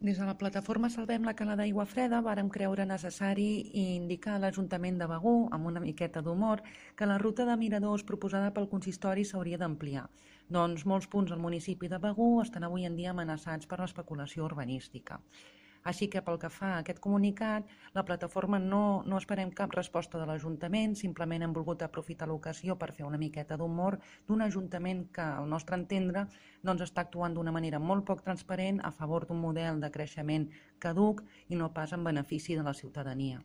Des de la plataforma Salvem la Cala d'Aigua Freda vàrem creure necessari indicar a l'Ajuntament de Begur, amb una miqueta d'humor, que la ruta de miradors proposada pel consistori s'hauria d'ampliar. Doncs molts punts al municipi de Begur estan avui en dia amenaçats per l'especulació urbanística. Així que pel que fa a aquest comunicat, la plataforma no esperem cap resposta de l'Ajuntament, simplement hem volgut aprofitar l'ocasió per fer una miqueta d'humor d'un Ajuntament que, al nostre entendre, està actuant d'una manera molt poc transparent a favor d'un model de creixement caduc i no pas en benefici de la ciutadania.